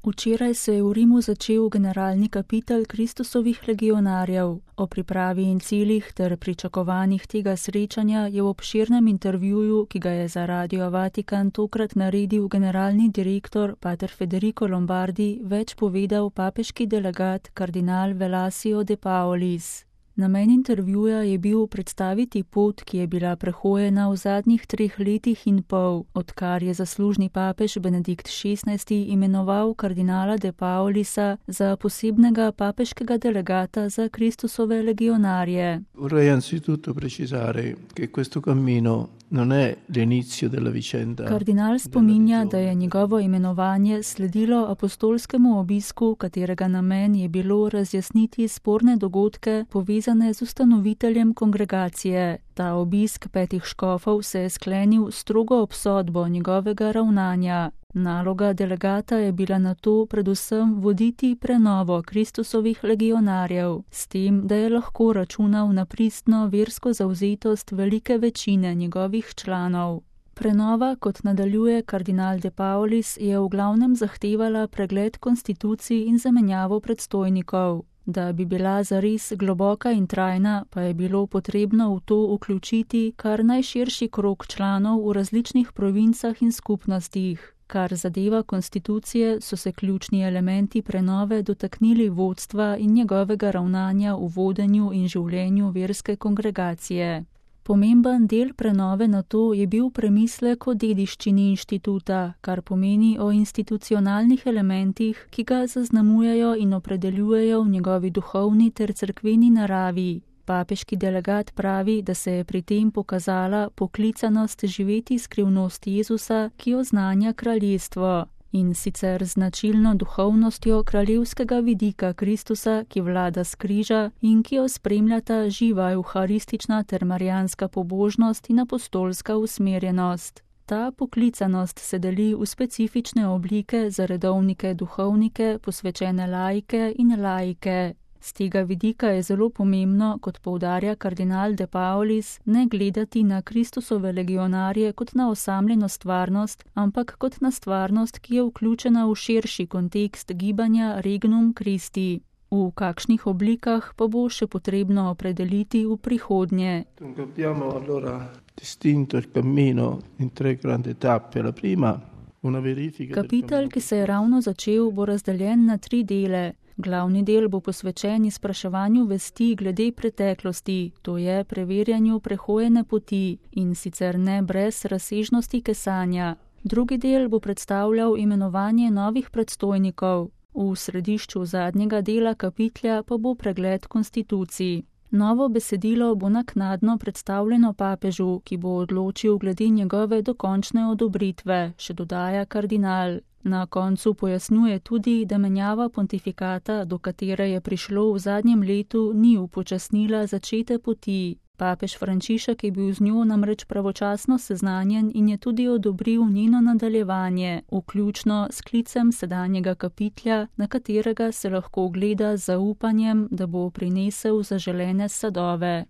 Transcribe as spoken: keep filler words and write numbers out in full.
Včeraj se je v Rimu začel generalni kapitel Kristusovih legionarjev. O pripravi in ciljih ter pričakovanjih tega srečanja je v obširnem intervjuju, ki ga je za Radio Vatikan tokrat naredil generalni direktor pater Federico Lombardi, več povedal papeški delegat kardinal Velasio de Paolis. Namen intervjuja je bil predstaviti pot, ki je bila prehojena v zadnjih treh letih in pol, odkar je zaslužni papež Benedikt šestnajsti imenoval kardinala de Paolisa za posebnega papeškega delegata za Kristusove legionarje. Vorrei anzitutto precisare che questo cammino non è l'inizio della vicenda. Kardinal spominja, da je njegovo imenovanje sledilo apostolskemu obisku, katerega namen je bilo razjasniti sporne dogodke povezane z ustanoviteljem kongregacije. Ta obisk petih škofov se je sklenil strogo obsodbo njegovega ravnanja. Naloga delegata je bila nato predvsem voditi prenovo Kristusovih legionarjev, s tem, da je lahko računal na pristno versko zavzetost velike večine njegovih članov. Prenova, kot nadaljuje kardinal de Paolis, je v glavnem zahtevala pregled konstitucij in zamenjavo predstojnikov. Da bi bila zares globoka in trajna, pa je bilo potrebno v to vključiti kar najširši krog članov v različnih provincah in skupnostih. Kar zadeva konstitucije, so se ključni elementi prenove dotaknili vodstva in njegovega ravnanja v vodenju in življenju verske kongregacije. Pomemben del prenove na to je bil premislek o dediščini inštituta, kar pomeni o institucionalnih elementih, ki ga zaznamujejo in opredeljujejo v njegovi duhovni ter cerkveni naravi. Papeški delegat pravi, da se je pri tem pokazala poklicanost živeti skrivnost Jezusa, ki oznanja kraljestvo, in sicer značilno duhovnostjo kraljevskega vidika Kristusa, ki vlada s križa in ki jo spremljata živa evharistična ter marijanska pobožnost in apostolska usmerjenost. Ta poklicanost se deli v specifične oblike za redovnike duhovnike, posvečene laike in laike. Z tega vidika je zelo pomembno, kot poudarja kardinal de Paolis, ne gledati na Kristusove legionarje kot na osamljeno stvarnost, ampak kot na stvarnost, ki je vključena v širši kontekst gibanja Regnum Christi. V kakšnih oblikah pa bo še potrebno opredeliti v prihodnje. Abbiamo allora distinto il cammino in tre grandi tappe. La prima, una verifica. Kapitel, ki se je ravno začel, bo razdeljen na tri dele. Glavni del bo posvečen izpraševanju vesti glede preteklosti, to je preverjanju prehojene poti in sicer ne brez razsežnosti kesanja. Drugi del bo predstavljal imenovanje novih predstojnikov. V središču zadnjega dela kapitlja pa bo pregled konstitucij. Novo besedilo bo naknadno predstavljeno papežu, ki bo odločil glede njegove dokončne odobritve, še dodaja kardinal. Na koncu pojasnjuje tudi, da menjava pontifikata, do katere je prišlo v zadnjem letu, ni upočasnila začete poti. Papež Frančišek je bil z njo namreč pravočasno seznanjen in je tudi odobril njeno nadaljevanje, vključno s sklicem sedanjega kapitlja, na katerega se lahko gleda z zaupanjem, da bo prinesel zaželene sadove.